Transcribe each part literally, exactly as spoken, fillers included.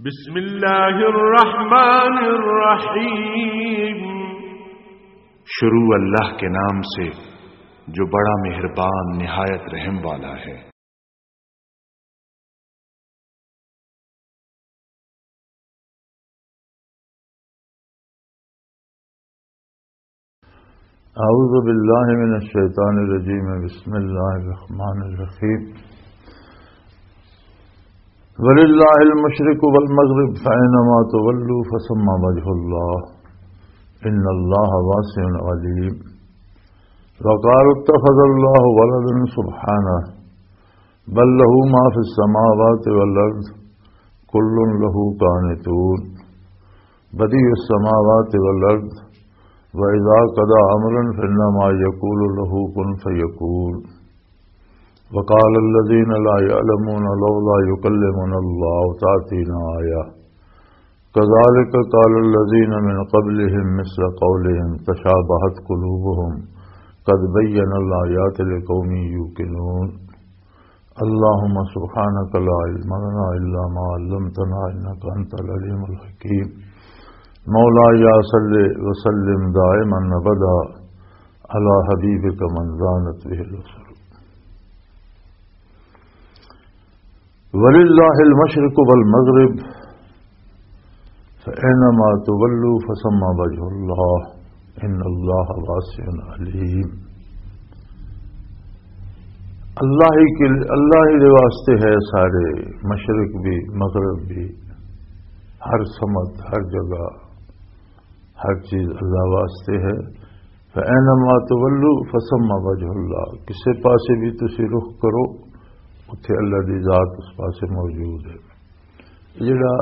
بسم اللہ الرحمن الرحیم۔ شروع اللہ کے نام سے جو بڑا مہربان نہایت رحم والا ہے۔ اعوذ باللہ من الشیطان الرجیم، بسم اللہ الرحمن الرحیم۔ وللہ المشرق والمغرب فأینما تولوا فثم وجہ اللہ ان اللہ واسع علیم۔ وقالوا اتخذ اللہ ولدا سبحانہ بل له ما في السماوات والأرض كل له قانتون بديع السماوات والأرض وإذا قضى أمرا فإنما يقول له كن فيكون وقال الذين لا يعلمون لولا يكلمنا الله أو تأتينا آية كذلك قال الذين من قبلهم مثل قولهم تشابهت قلوبهم قد بين الآيات لقوم يوقنون۔ اللهم سبحانك لا علم لنا إلا ما علمتنا إنك أنت العليم الحكيم۔ مولاي صل وسلم دائما أبدا على حبيبك من زانت به الوصول۔ وللہ المشرق والمغرب فأينما تولوا فثم وجه اللہ ان اللہ واسع علیم۔ اللہ ہی کے، اللہ ہی دے واسطے ہے سارے، مشرق بھی، مغرب بھی، ہر سمت، ہر جگہ، ہر چیز اللہ واسطے ہے۔ فَأَيْنَمَا تُوَلُّوا فَثَمَّ وَجْهُ اللَّهِ، کسے پاسے بھی تسی رخ کرو، اتھے اللہ دی ذات اس پاسے موجود ہے۔ جڑا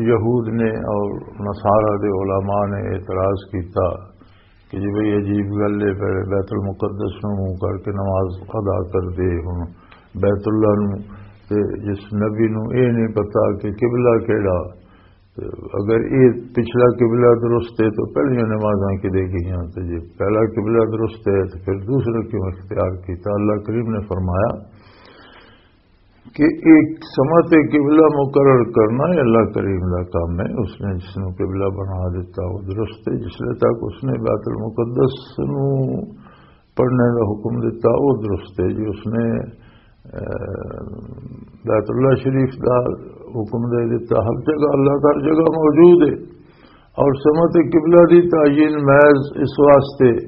یہود نے اور نصارہ دے علماء نے اعتراض کیتا کہ جی بھئی عجیب گل ہے، پہلے بیت المقدس نو منہ کر کے نماز ادا کر دے، ہن بیت اللہ نو، تے جس نبی نو اے نہیں پتا کہ قبلہ کیڑا، تے اگر اے پچھلا قبلہ درست ہے تو پہلیاں نمازاں کدے گئیاں، تے جے پہلا قبلہ درست ہے تو پھر دوسرا کیوں اختیار کیتا؟ اللہ کریم نے فرمایا کہ ایک سمت قبلہ مقرر کرنا یہ اللہ کریم دا کام ہے۔ اس نے جس نو قبلہ بنا دیتا وہ درست ہے، جس لے تک اس نے بیت المقدس نو پڑھنے دا حکم دیتا، وہ درست ہے۔ جی اس نے، اے، بیت اللہ شریف دا حکم دے دیتا، ہر جگہ اللہ ہر جگہ موجود ہے۔ اور سمت قبلہ دی تعین محض اس واسطے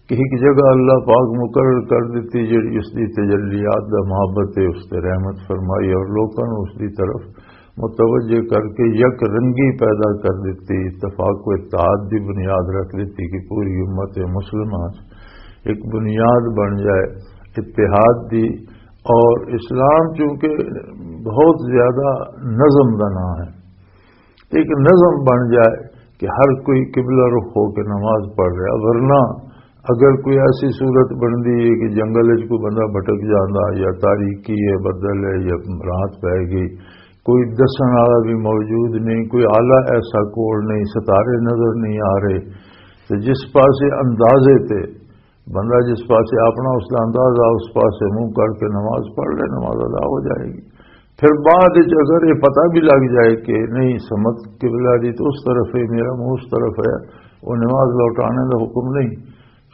کہ ایک جگہ اللہ پاک مقرر کر دیتی، جڑی اس دی تجلیات دا محبت ہے، اس تے رحمت فرمائی اور لوکاں نوں اس دی طرف متوجہ کر کے یک رنگی پیدا کر دیتی، اتفاق و اتحاد دی بنیاد رکھ دیتی کہ پوری امت مسلمہ ایک بنیاد بن جائے اتحاد دی۔ اور اسلام چونکہ بہت زیادہ نظم دا نام ہے، ایک نظم بن جائے کہ ہر کوئی قبلہ رخ ہو کے نماز پڑھ رہا، ورنہ اگر کوئی ایسی صورت بندی ہے کہ جنگل وچ کوئی بندہ بھٹک جاندا یا تاریکی ہے، بدل ہے یا رات پے گئی، کوئی دسن والا بھی موجود نہیں، کوئی آلہ ایسا کول نہیں، ستارے نظر نہیں آ رہے، تو جس پاسے اندازے تے بندہ جس پاسے اپنا اس دا اندازہ اس پاسے منہ کر کے نماز پڑھ لے، نماز ادا ہو جائے گی۔ پھر بعد وچ اگر یہ پتہ بھی لگ جائے کہ نہیں، سمت قبلہ دی تو اس طرف ہے، میرا منہ اس طرف ہے، وہ نماز لوٹانے دا حکم نہیں،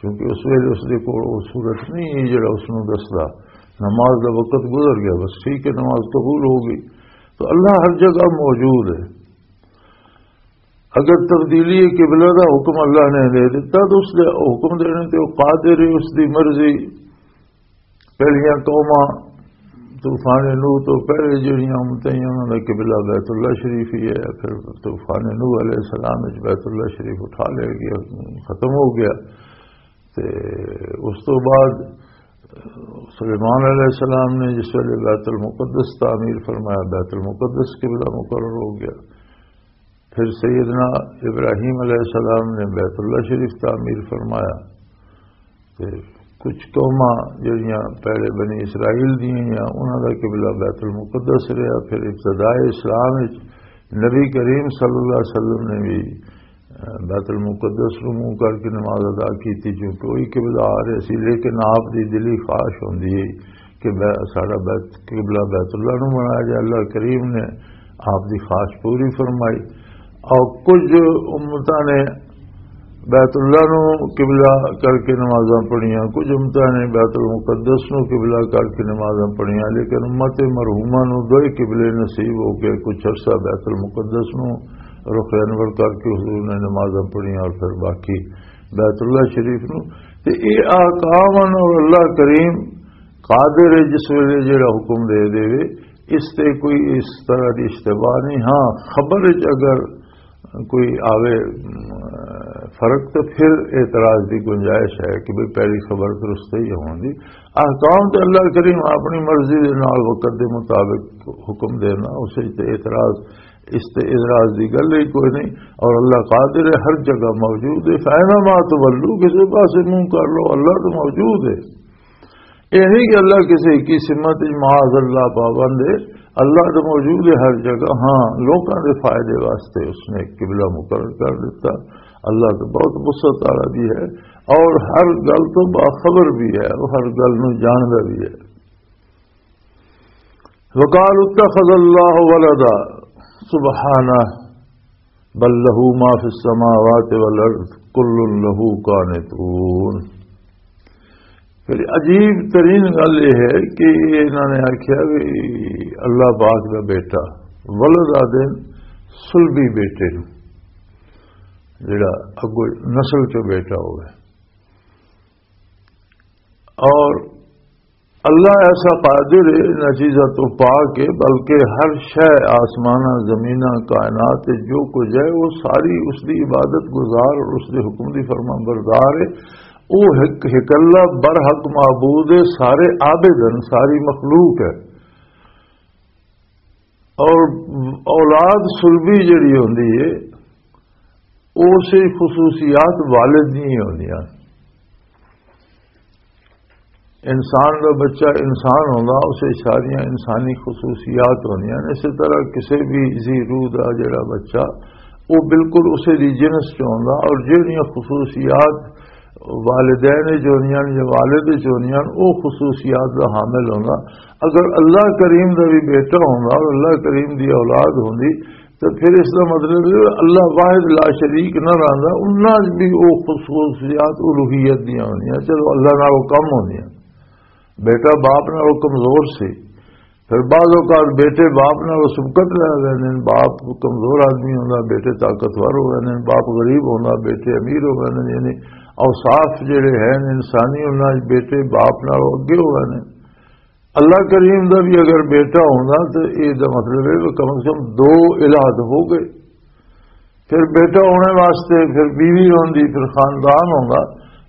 کیونکہ اس ویلے اس دے کول وہ صورت نہیں ہے جڑا اس نوں دسدا۔ نماز دا وقت گزر گیا، بس ٹھیک ہے، نماز قبول ہو گئی۔ تو اللہ ہر جگہ موجود ہے۔ اگر تبدیلی قبلہ دا حکم اللہ نے دے دیتا تو اس دے حکم دینے تے وہ قادر ہے، اس دی مرضی۔ پہلیاں قوماں طوفان نوح تو پہلے جڑیاں امتیں، انہاں دا قبلہ بیت اللہ شریف ہی ہے، پھر طوفان نوح علیہ السلام وچ بیت اللہ شریف اٹھا لیا گیا، ختم ہو گیا۔ تے اس تو بعد سلیمان علیہ السلام نے جس ویلے بیت المقدس تعمیر فرمایا، بیت المقدس قبلہ مقرر ہو گیا۔ پھر سیدنا ابراہیم علیہ السلام نے بیت اللہ شریف تعمیر فرمایا۔ تے کچھ قوماں جڑیاں پہلے بنی اسرائیل دیاں یا انہاں دا قبلہ بیت المقدس رہیا۔ پھر ابتدائے اسلام وچ نبی کریم صلی اللہ علیہ وسلم نے بھی، اہ، بیت المقدس نوں منہ کر کے نماز ادا کیتی، کیونکہ وہی قبلہ آ رہے سی۔ لیکن آپ دی دلی خواہش ہوندی ہے کہ بے-، ساڈا بیت، قبلہ بیت اللہ نوں بنایا جائے۔ اللہ کریم نے آپ دی خواہش پوری فرمائی۔ اور کچھ امتاں نے بیت اللہ نو قبلہ کر کے نمازاں پڑھیاں، کچھ امتاں نے بیت المقدس نو قبلہ کر کے نمازاں پڑھیاں، لیکن امت مرحومہ نو دوئے قبلے نصیب ہو گئے۔ کچھ عرصہ بیت المقدس نو رخ انور کر کے حضور نے نمازاں پڑھیاں اور پھر باقی بیت اللہ شریف نو۔ تے اے احکام ہن اور اللہ کریم قادر ہے جس ویلے جڑا حکم دے دے، اس تے کوئی اس طرح دی اشتباہ نہیں۔ ہاں، خبر وچ اگر کوئی آوے، م، فرق، تو پھر اعتراض دی گنجائش ہے کہ بھئی پہلی خبر درست ہی ہوندی۔ احکام تے اللہ کریم اپنی مرضی دے نال وقت دے مطابق حکم دینا، اس وچ تے اعتراض، اس تے اعتراض دی گل ہی کوئی نہیں۔ اور اللہ قادر ہے، ہر جگہ موجود ہے۔ فَأَيْنَمَا تُوَلُّوا، کسی پاسے منہ کر لو، اللہ تو موجود ہے۔ یہ نہیں کہ اللہ کسی کی سمت وچ معاذ اللہ پابند ہے۔ اللہ تو موجود ہے ہر جگہ۔ ہاں، لوکاں دے فائدے واسطے اس نے قبلہ مقرر کر دیتا۔ اللہ تو بہت وسعت والا بھی ہے اور ہر گل تو باخبر بھی ہے، وہ ہر گل نو جاندا بھی ہے۔ وقالوا اتخذ الله ولدا، سبحانه، بل له ما في السماوات والارض كل له قانتون۔ پھر عجیب ترین گل یہ ہے کہ انہوں نے آخیا بھی اللہ پاک دا بیٹا، ولد آدھے سلبی بیٹے نو، جڑا اگو نسل چو بیٹا ہوئے۔ اور اللہ ایسا قادر ہے ان چیزاں تو پاک ہے، بلکہ ہر شے، آسماناں، زمیناں، کائنات تے جو کچھ ہے، وہ ساری اس دی عبادت گزار اور اس دے حکم دی فرمان بردار ہے۔ وہ ایک، ایک اللہ برحق معبود ہے، سارے عابد ہیں، ساری مخلوق ہے۔ اور اولاد سلبی جڑی ہوندی ہے، اسے خصوصیات والد نہیں ہوندیاں۔ انسان دا بچہ انسان ہوندا، اسے ساریاں انسانی خصوصیات ہوندیاں۔ اسی طرح کسی بھی ذی روح دا جڑا بچہ، وہ بالکل اسے دی جنس چ ہوندا، اور جہڑیاں خصوصیات والدین وچ ہوندیاں نے یا والد وچ ہوندیاں نے، او خصوصیات دا حامل ہوندا۔ اگر اللہ کریم دا بھی بیٹا ہوندا اور اللہ کریم دی اولاد ہوندی، تو پھر اس دا مطلب ہے اللہ واحد لا شریک نہ رہندا، انہاں وچ بھی او خصوصیات الوہیت دیاں ہوندیاں۔ چلو، اللہ نال او کم ہوندیاں، بیٹا باپ نال او کمزور سی، پھر بعض اوقات بیٹے باپ نال سبقت لے لیندے نے، باپ کمزور آدمی ہوندا، بیٹے طاقتور ہو ویندے نے، باپ غریب ہوندا، بیٹے امیر ہو ویندے نے، یعنی اوصاف جڑے ہیں انسانی، انہاں وچ بیٹے باپ نال اگے ہو ویندے نے۔ اللہ کریم دا بھی اگر بیٹا ہوندا تو اے دا مطلب ہے کہ کم از کم دو الہ ہو گئے۔ پھر بیٹا ہونے واسطے پھر بیوی ہوندی، پھر خاندان ہوندا۔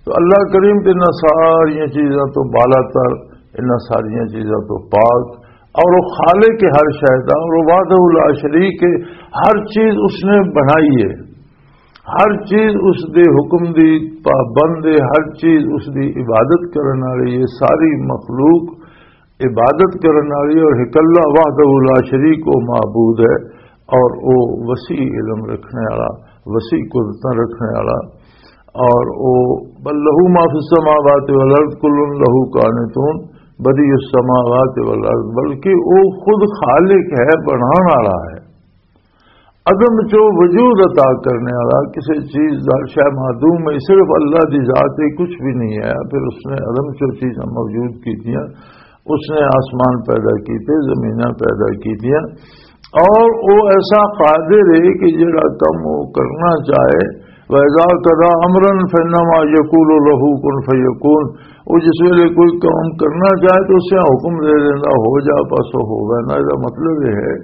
تو اللہ کریم تے انہاں ساریاں چیزاں تو بالاتر، انہاں ساریاں چیزاں تو پاک، اور وہ خالق ہے ہر شے دا، اور وہ وحدہ لا شریک ہے، ہر چیز اس نے بنائی ہے، ہر چیز اس دے حکم دی پابند ہے، ہر چیز اس دی عبادت کرن والی ہے، ساری مخلوق عبادت کرن والی اور ایک اللہ وحدہ لا شریک وہ معبود ہے، اور وہ وسیع علم رکھنے والا، وسیع قدرتاں رکھنے والا، اور وہ بل لہ ما فی السماوات والارض کل لہ قانتون، بدیع السماوات والارض، بلکہ وہ خود خالق ہے، بنان والا ہے۔ عدم چو وجود عطا کرنے والا، کسی چیز دا، شے معدوم ہے، صرف اللہ دی ذات ہے، کچھ بھی نہیں ہے۔ پھر اس نے عدم چو چیزاں موجود کی دیا، اس نے آسمان پیدا کیتے، زمیناں پیدا کی دیا، اور وہ ایسا قادر ہے کہ جڑا کم وہ کرنا چاہے، وَإِذَا قَضَى أَمْرًا فَإِنَّمَا يَقُولُ لَهُ كُن فَيَكُونُ۔ وہ جس ویلے کوئی کام کرنا چاہے تو اسے حکم دے دینا، ہو جا، بس وہ ہو گیا نا۔ اس دا مطلب یہ ہے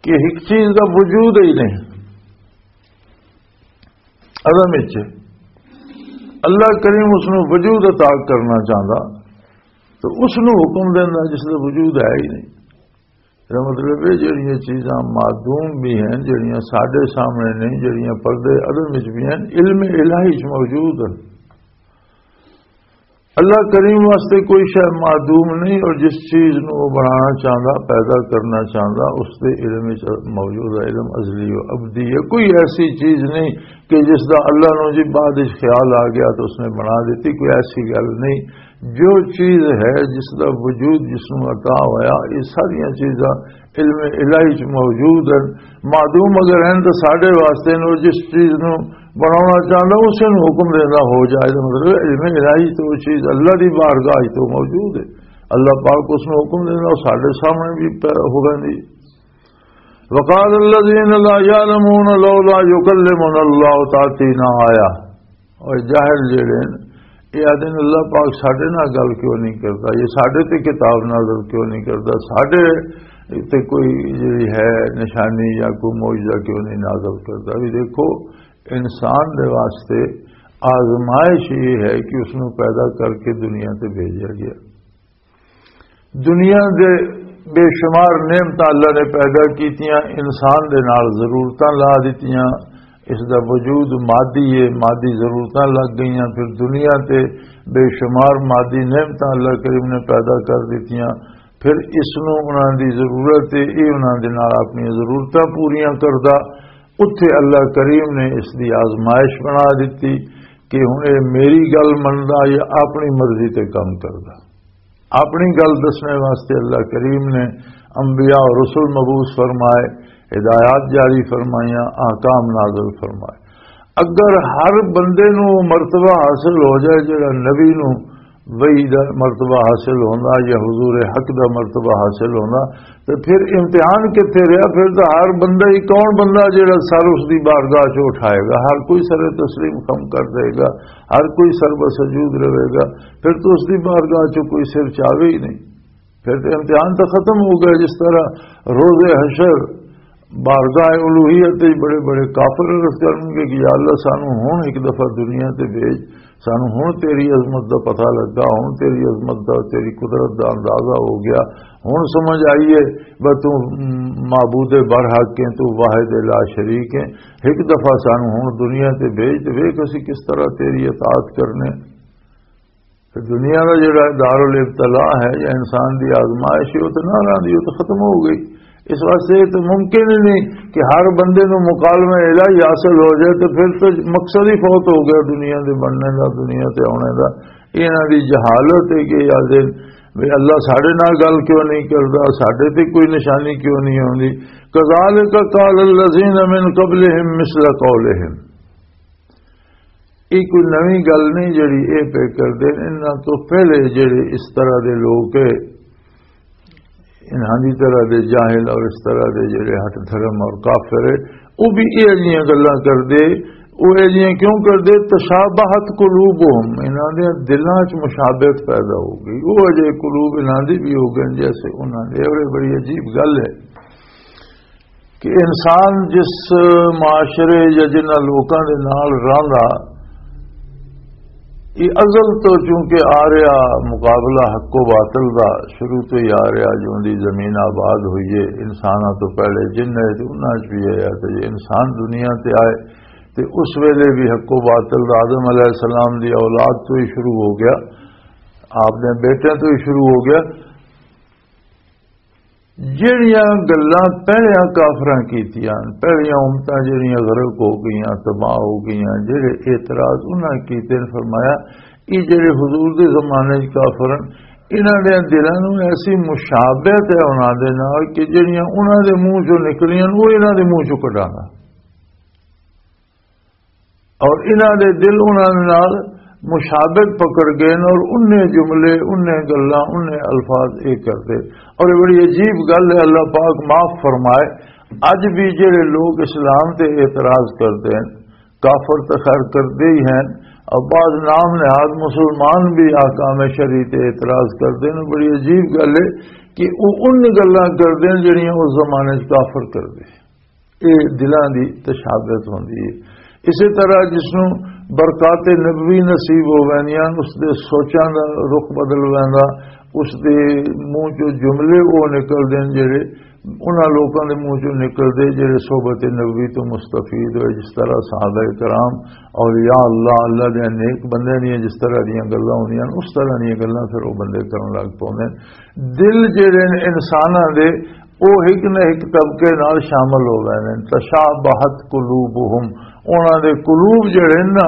کہ ایک چیز دا وجود ہی نہیں عدم وچ۔ اللہ کریم اس نوں وجود عطا کرنا چاہندا تو اس نوں حکم دیندا جس دا وجود ہے ہی نہیں۔ اس دا مطلب ہے جڑیاں چیزاں معدوم بھی ہیں، جڑیاں ساڈے سامنے نہیں، جڑیاں پردے عدم وچ بھی ہیں، علم الہی وچ موجود ہیں۔ اللہ کریم واسطے کوئی شے معدوم نہیں، اور جس چیز نو وہ بنانا چاہندا، پیدا کرنا چاہندا، اس دے علم وچ موجود ہے، علم ازلی و ابدی ہے۔ کوئی ایسی چیز نہیں کہ جس دا اللہ نو جی بعد وچ خیال آ گیا تو اس نے بنا دیتی، کوئی ایسی گل نہیں۔ جو چیز ہے، جس دا وجود جس نوں عطا ہویا، یہ ساریاں چیزاں علم الہی چ موجود ہیں۔ معدوم اگر ہیں تو ساڈے واسطے نو جس چیز نو بناونا چاہندا، اسے نو حکم دینا ہو جائے۔ تو مطلب علم الہی تو وہ چیز اللہ دی بارگاہ چ تو موجود ہے۔ اللہ پاک اس نو حکم دینا، وہ ساڈے سامنے بھی پہ-، ہو رہی۔ وقال الذين لا يعلمون لولا يكلمنا الله تأتينا آية۔ اور جاہل جڑے ہیں، یہ آدھے نے، "اللہ پاک ساڈے نال گل کیوں نہیں کردا؟ یہ ساڈے تے کتاب نازل کیوں نہیں کردا؟ ساڈے تے کوئی جڑی ہے نشانی یا کوئی معجزہ کیوں نہیں نازل کردا؟" بھی دیکھو، انسان دے واسطے آزمائش یہ ہے کہ اس نوں پیدا کر کے دنیا تے بھیجا گیا۔ دنیا دے بے شمار نعمتاں اللہ نے پیدا کیتیاں، انسان دے نال ضرورتاں لا دتیاں۔ اس دا وجود مادی ہے، مادی ضرورتاں لگ گئیاں، پھر دنیا تے بے شمار مادی نعمتاں اللہ کریم نے پیدا کر دتیاں۔ پھر اس نوں انہاں دی ضرورت ہے، یہ انہاں دے نال اپنی ضرورتاں پوریاں کردا۔ اتھے اللہ کریم نے اس دی آزمائش بنا دتی کہ ہن یہ میری گل مندا یا اپنی مرضی تے کم کردا۔ اپنی گل دسنے واسطے اللہ کریم نے انبیاء اور رسول مبعوث فرمائے، ہدایات جاری فرمائیاں، احکام نازل فرمائے۔ اگر ہر بندے نو وہ مرتبہ حاصل ہو جائے جڑا نبی نو وحی دا مرتبہ حاصل ہوندا یا حضور حق دا مرتبہ حاصل ہوندا، تے پھر امتحان کتھے رہیا؟ پھر تاں ہر بندہ ہی، کون بندہ جڑا سر اس دی بارگاہ چ اٹھائے گا؟ ہر کوئی سر تسلیم خم کر دے گا، ہر کوئی سر بسجود رہے گا۔ پھر تو اس دی بارگاہ چ کوئی سر چاوے ہی نہیں۔ پھر تے امتحان تاں ختم ہو گیا۔ جس طرح روز حشر بارگاہ الوہیت وچ بڑے بڑے کافر عرض کرن گے کہ یا اللہ، سانو ہن ایک دفعہ دنیا تے بھیج، سانو ہن تیری عظمت دا پتہ لگا، ہن تیری عظمت دا، تیری قدرت دا اندازہ ہو گیا، ہن سمجھ آئی ہے، بس تو معبود برحق ہے، تو واحد لا شریک ہے، ایک دفعہ سانو ہن دنیا تے بھیج تے ویکھ اسی کس طرح تیری اطاعت کرنے۔ تے دنیا دا جڑا دارالابتلاء ہے یا انسان دی آزمائش ہے، وہ تے نہ رہندی، وہ تے ختم ہو گئی۔ اس واسطے یہ تے ممکن ہی نہیں کہ ہر بندے نوں مکالمہ الہی حاصل ہو جائے، تے پھر تو مقصد ہی فوت ہو گیا دنیا دے بننے دا، دنیا تے آنے دا۔ یہ انہاں دی جہالت ہے کہ یاد بھی اللہ ساڈے نال گل کیوں نہیں کردا، ساڈے تے کوئی نشانی کیوں نہیں آندی۔ کذالک قال الذین من قبلہم مثل قولہم۔ یہ کوئی نویں گل نہیں جڑی یہ پہ کردے۔ انہاں تو پہلے جڑے اس طرح دے لوگ ہے، انہاں دی طرح دے جاہل اور اس طرح دے جڑے ہٹ دھرم اور کافر ہے، وہ بھی یہ جیاں گلاں کردے۔ وہ یہ جیاں کیوں کردے؟ تشابہت قلوبہم، انہاں دے دلاں چ مشابہت پیدا ہو گئی۔ وہ اجے قلوب انہاں دی بھی ہو گئے جیسے انہاں دے۔ اور یہ بڑی عجیب گل ہے کہ انسان جس معاشرے یا جنہاں لوکاں دے نال رہندا، یہ ازل تو چونکہ آ رہا مقابلہ حق و باطل دا، شروع تو ہی آ رہا، جو دی زمین آباد ہوئی ہے، انساناں تو پہلے جن ہے تے انہاں چ بھی ہے، تے جے انسان دنیا تے آئے تے اس ویلے بھی حق و باطل دا آدم علیہ السلام دی اولاد تو ہی شروع ہو گیا، آپ نے بیٹے تو ہی شروع ہو گیا۔ جہڑیاں گلاں پہلیاں کافراں کیتیاں، پہلیاں امتاں جہڑیاں غرق ہو گئیاں، تباہ ہو گئیاں، جہڑے اعتراض انہاں کیتے نے، فرمایا، یہ جہڑے حضور دے زمانے چ کافر ہن، انہاں دے دلاں نوں ایسی مشابہت ہے انہاں دے نال کہ جہڑیاں انہاں دے منہ چوں نکلیاں، وہ انہاں دے منہ چوں کڈانا۔ اور انہاں دے دل انہاں دے نال مشابہت پکڑ گئے نے اور انہیں جملے، انہیں گلاں، انہیں الفاظ یہ کردے۔ اور یہ بڑی عجیب گل ہے، اللہ پاک معاف فرمائے، اج بھی جڑے لوگ اسلام تے اعتراض کردے ہیں، کافر تے خیر کردے ہی ہیں، اور بعض نام نہاد مسلمان بھی احکام شریعت تے اعتراض کردے ہیں۔ بڑی عجیب گل ہے کہ وہ ان گلاں کردے ہیں جڑیاں اس زمانے چ کافر کردے۔ یہ دلاں دی تشابہت ہوندی ہے۔ اسی طرح جس نوں برکات نبوی نصیب ہو ویندیاں، اس دے سوچاں دا رخ بدل ویندا، اس دے منہ چوں جملے وہ نکلدے نے جڑے انہاں لوکاں دے منہ چوں نکلدے جڑے صحبت نبوی تو مستفید ہوئے، جس طرح صحابہ کرام، اولیاء اللہ، اللہ دے نیک بندے دیاں جس طرح دیاں گلاں ہوندیاں، اس طرح دیاں گلاں پھر وہ بندے کرن لگ پوندے نے۔ دل جڑے نے انساناں دے، وہ ایک نہ ایک طبقے نال شامل ہو گئے نے۔ تشابہت قلوبہم، انہاں دے قلوب جڑے نے نا،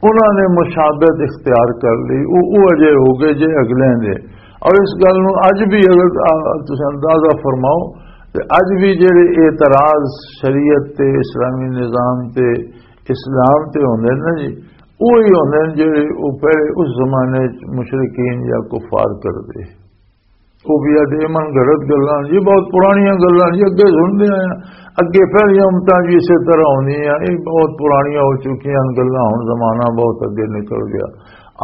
انہاں نے مشابہت اختیار کر لی، وہ وہ اجے ہو گئے جے اگلے دے۔ اور اس گل نو اج بھی اگر آ، تساں اندازہ فرماؤ، تے اج بھی جڑے اعتراض شریعت تے، اسلامی نظام تے، اسلام تے ہوندے نا جی، وہی ہوندے نے جڑے وہ پہلے اس زمانے چ مشرکین یا کفار کردے۔ وہ بھی آدھے من گھڑت گلاں جی، بہت پرانیاں گلاں جی، اگے سنتے آئے ہیں، اگے پہلیاں امتاں جی اسے طرح ہوندیاں، یہ بہت پرانیاں ہو چکیاں گلاں، ہن زمانہ بہت اگے نکل گیا۔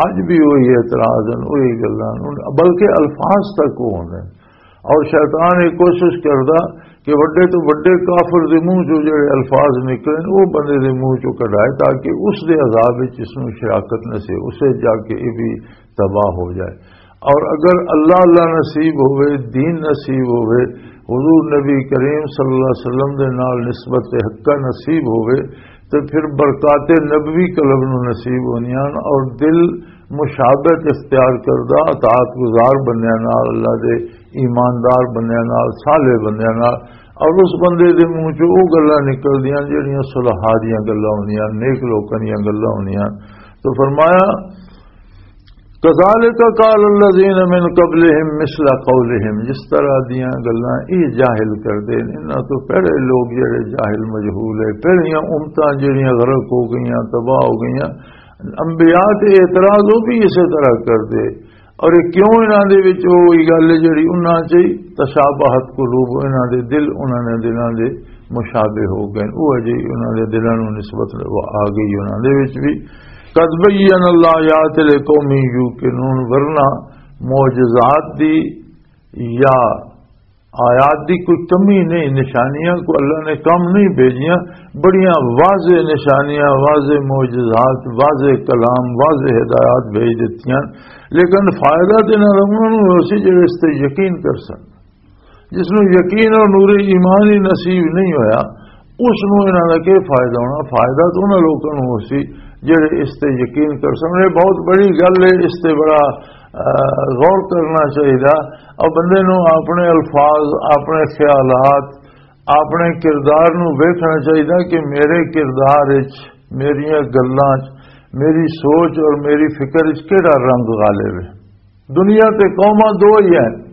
اج بھی وہی اعتراض ہیں، وہی گلاں، بلکہ الفاظ تک وہ ہوندے ہیں۔ اور شیطان یہ کوشش کردا کہ وڈے تو وڈے کافر دے منہ چوں جڑے الفاظ نکلن، وہ بندے دے منہ چوں کڈائے، تاکہ اس دے عذاب وچ اس نوں شراکت نصیب، اسے جا کے یہ بھی تباہ ہو جائے۔ اور اگر اللہ اللہ نصیب ہوئے، دین نصیب ہوئے، حضور نبی کریم صلی اللہ علیہ وسلم دے نال نسبت حقہ نصیب ہوئے، تو پھر برکات نبوی قلب نو نصیب ہونیاں اور دل مشابہت اختیار کردہ، اطاعت گزار بندیاں نال، اللہ دے ایماندار بندیاں نال، صالح بندیاں نال۔ اور اس بندے دے منہ چوں وہ گلاں نکلدیاں جڑیاں صلحاء دیاں گلاں ہوندیاں، نیک لوکاں دیاں گلاں ہوندیاں۔ تو فرمایا، "کذالک قال الذین من قبلہم مثل قولہم"، جس طرح دیاں گلاں یہ جاہل کردے نے، انہاں تو پہلے لوگ جڑے جاہل مجہول ہے، پہلیاں امتاں جڑیاں غرق ہو گئیاں، تباہ ہو گئیاں، انبیاء تے اعتراض وہ بھی اسی طرح کردے۔ اور یہ کیوں انہاں دے وچ وہی گل ہے جڑی انہاں چ ہی تشابہت قلوب، انہاں دے دل، انہاں نے دلاں دے مشابہ ہو گئے، وہ اجے انہاں دے دلاں نوں نسبت وہ آ گئی انہاں دے وچ بھی۔ قد بین اللہ آیات لقوم یوقنون، ورنہ معجزات دی یا آیات دی کوئی کمی نہیں، نشانیاں کو اللہ نے کم نہیں بھیجیاں، بڑیاں واضح نشانیاں، واضح معجزات، واضح کلام، واضح ہدایات بھیج دتیاں، لیکن فائدہ تے نہ انہاں نوں ہو سی جڑے اس تے یقین کر سن۔ جس نوں یقین اور نور ایمان ہی نصیب نہیں ہویا، اس نوں انہاں دا کی فائدہ ہونا؟ فائدہ تو انہاں لوکاں نوں ہو سی جڑے اس تے یقین کر سن۔ یہ بہت بڑی گل ہے، اس تے بڑا، آ، غور کرنا چاہیدا۔ اور بندے نوں اپنے الفاظ، اپنے خیالات، اپنے کردار نوں ویکھنا چاہیدا کہ میرے کردار وچ، میریاں گلاں وچ، میری سوچ اور میری فکر وچ کیڑا رنگ غالب ہے۔ دنیا تے قوماں دو ہی ہیں،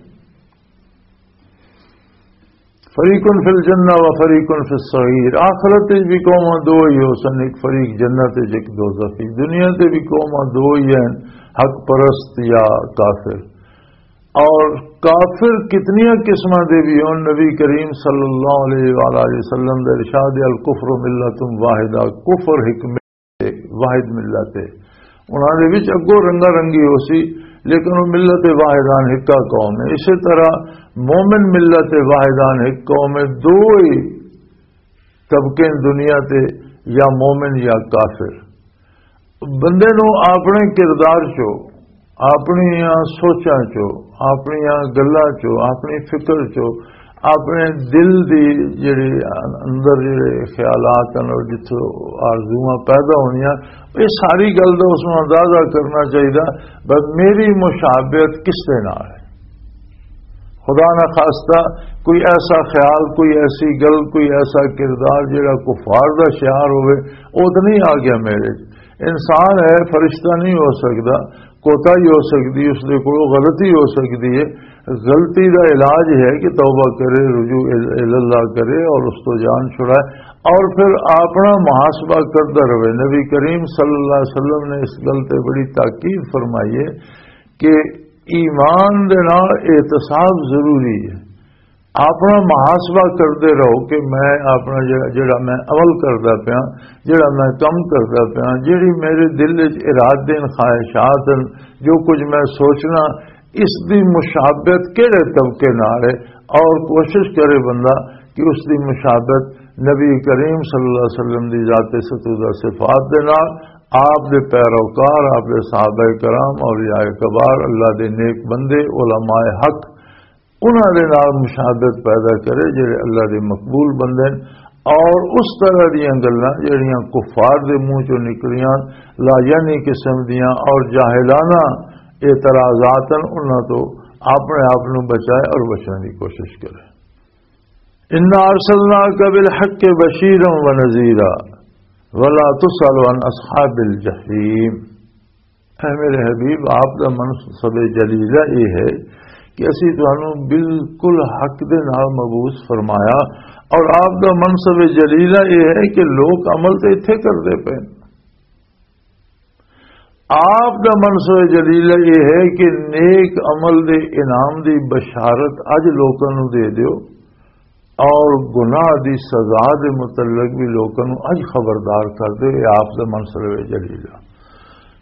فریق فی الجنہ و فریق فی السعیر۔ آخرت وچ بھی قوماں دو ہی ہو سن، ایک فریق جنت وچ، ایک دوزخ وچ۔ دنیا تے بھی قوماں دو ہی ہیں، حق پرست یا کافر۔ اور کافر کتنیاں قسماں دے بھی ہن، نبی کریم صلی اللہ علیہ وآلہ وسلم دے ارشاد، "الکفر ملۃ واحدہ"، کفر ایک ملت ہے، واحد ملت ہے۔ انہاں دے وچ اگوں رنگا رنگی ہو سی، لیکن وہ ملت واحدان ایکا قوم ہے۔ اسی طرح مومن ملت واحدان ایک قوم ہے، دو ہی طبقے دنیا تے، یا مومن یا کافر۔ بندے نوں اپنے کردار چو، اپنیاں سوچاں چو، اپنیاں گلاں چو، اپنی فکر چو، اپنے دل دی جڑی اندر جڑے خیالات ہیں اور جتھوں آرزوواں پیدا ہونیاں، یہ ساری گل دا اس نوں اندازہ کرنا چاہیدا، بس میری مشابہت کس دے نال ہے۔ خدا نہ خواستہ کوئی ایسا خیال، کوئی ایسی گل، کوئی ایسا کردار جڑا کفار دا شعار ہوئے، وہ تو نہیں آ گیا میرے۔ انسان ہے، فرشتہ نہیں ہو سکدا، کوتا ہی ہو سکدی، اس دے کولوں غلطی ہو سکدی ہے۔ غلطی دا علاج ہے کہ توبہ کرے، رجوع ال-، اللہ کرے اور اس تو جان چھڑائے، اور پھر اپنا محاسبہ کردا رہے۔ نبی کریم صلی اللہ علیہ وسلم نے اس گل تے بڑی تاکید فرمائی ہے کہ ایمان دے نال احتساب ضروری ہے۔ اپنا محاسبہ کردے رہو کہ میں اپنا جڑا، جڑا میں عمل کردا پیاں، جڑا میں کم کردا پیاں، جڑی میرے دل وچ ارادے ہیں، خواہشات ہیں، جو کچھ میں سوچنا، اس دی مشابہت کہڑے طبقے نال ہے، اور کوشش کرے بندہ کہ اس دی مشابہت نبی کریم صلی اللہ علیہ وسلم دی ذات ستودہ صفات دے نال، آپ دے پیروکار، آپ دے صحابہ کرام، اولیاء کبار، اللہ دے نیک بندے، علماء حق، انہاں دے نال مشابہت پیدا کرے جڑے اللہ دے مقبول بندے ہیں، اور اس طرح دیاں گلاں جڑیاں کفار دے منہ چوں نکلیاں، لا یعنی قسم دیاں اور جاہلانہ اعتراضات ہیں، انہاں تو اپنے آپ نوں بچائے اور بچنے دی کوشش کرے۔ انا ارسلناک بالحق بشیرا و نذیرا۔ ولا تسأل عن اصحاب الجحیم۔ اے میرے حبیب، آپ دا منصب جلیلہ یہ ہے کہ اسی تانوں بالکل حق دے نال مبعوث فرمایا، اور آپ دا منصب جلیلہ یہ ہے کہ لوگ عمل تے اتھے کردے پے۔ آپ دا منصب جلیلہ یہ ہے کہ نیک عمل دے انعام دی بشارت اج لوکاں نوں دے دیو، اور گناہ دی سزا دے متعلق بھی لوکاں نوں اج خبردار کر دے۔ یہ آپ دا منصب جلیلہ۔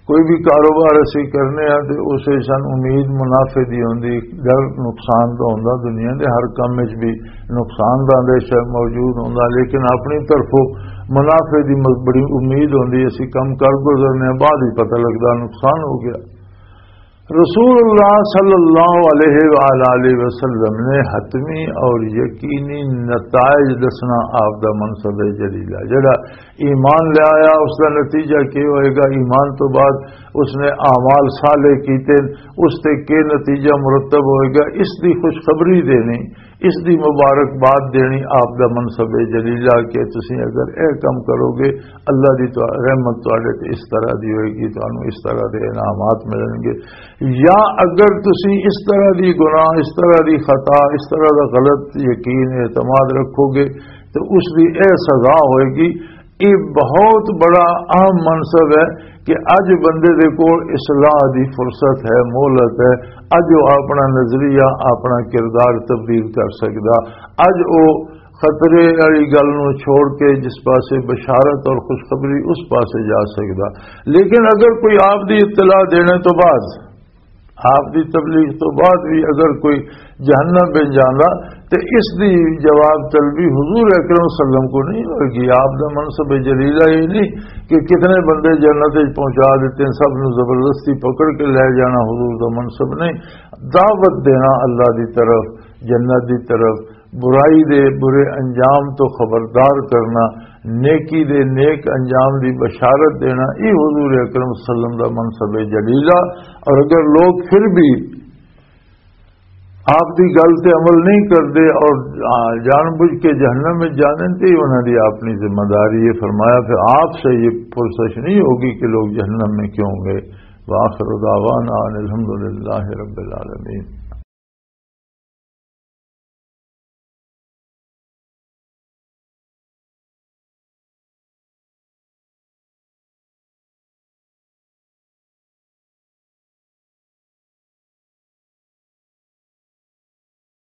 کوئی بھی کاروبار اسی کرنے ہاں تے اس وچ سان امید منافع دی ہوندی، ڈر نقصان دا ہوندا۔ دنیا دے ہر کم وچ بھی نقصان دا اندیشہ موجود ہوندا، لیکن اپنی طرفوں منافع دی م-، بڑی امید ہوندی۔ اسی کم کر گزرنے ہاں، بعد ہی پتہ لگدا نقصان ہو گیا۔ رسول اللہ صلی اللہ علیہ وآلہ وسلم نے حتمی اور یقینی نتائج دسنا آپ دا منصب جلیلہ۔ جڑا ایمان لے آیا، اس دا نتیجہ کی ہوئے گا؟ ایمان تو بعد اس نے اعمال صالح کیتے، اس تے کی نتیجہ مرتب ہوئے گا؟ اس دی خوشخبری دینی، اس دی مبارکباد دینی آپ دا منصب جلیلہ کہ تسی اگر اے کم کرو گے، اللہ دی تو رحمت تواڈے تے اس طرح دی ہوئے گی، تانوں اس طرح دے انعامات ملن گے۔ یا اگر تسی اس طرح دی گناہ، اس طرح دی خطا، اس طرح دا غلط یقین اعتماد رکھو گے تو اس دی اے سزا ہوئے گی۔ یہ بہت بڑا اہم منصب ہے کہ اج بندے دے کول اصلاح دی فرصت ہے، مہلت ہے۔ اج وہ اپنا نظریہ، اپنا کردار تبدیل کر سکدا۔ اج وہ خطرے والی گل نوں چھوڑ کے جس پاسے بشارت اور خوشخبری، اس پاسے جا سکدا۔ لیکن اگر کوئی آپ دی اطلاع دینے تو بعد، آپ دی تبلیغ تو بعد بھی اگر کوئی جہنم بن جاندا تے اس دی جواب طلبی حضور اکرم صلی اللہ علیہ وسلم کو نہیں ہوئے گی۔ آپ دا منصب جلیلہ یہ نہیں کہ کتنے بندے جنت وچ پہنچا دیتے ہیں، سب نوں زبردستی پکڑ کے لے جانا حضور دا منصب نہیں۔ دعوت دینا اللہ دی طرف، جنت دی طرف، برائی دے برے انجام تو خبردار کرنا، نیکی دے نیک انجام دی بشارت دینا، یہ حضور اکرم صلی اللہ علیہ وسلم دا منصب جلیلہ۔ اور اگر لوگ پھر بھی آپ دی گل تے عمل نہیں کردے اور، آ، جان بوجھ کے جہنم میں جانے، تے انہاں دی اپنی ذمہ داری ہے۔ فرمایا پھر آپ سے یہ پرسش نہیں ہوگی کہ لوگ جہنم میں کیوں گئے۔ وآخر دعوانا ان الحمدللہ رب العالمین۔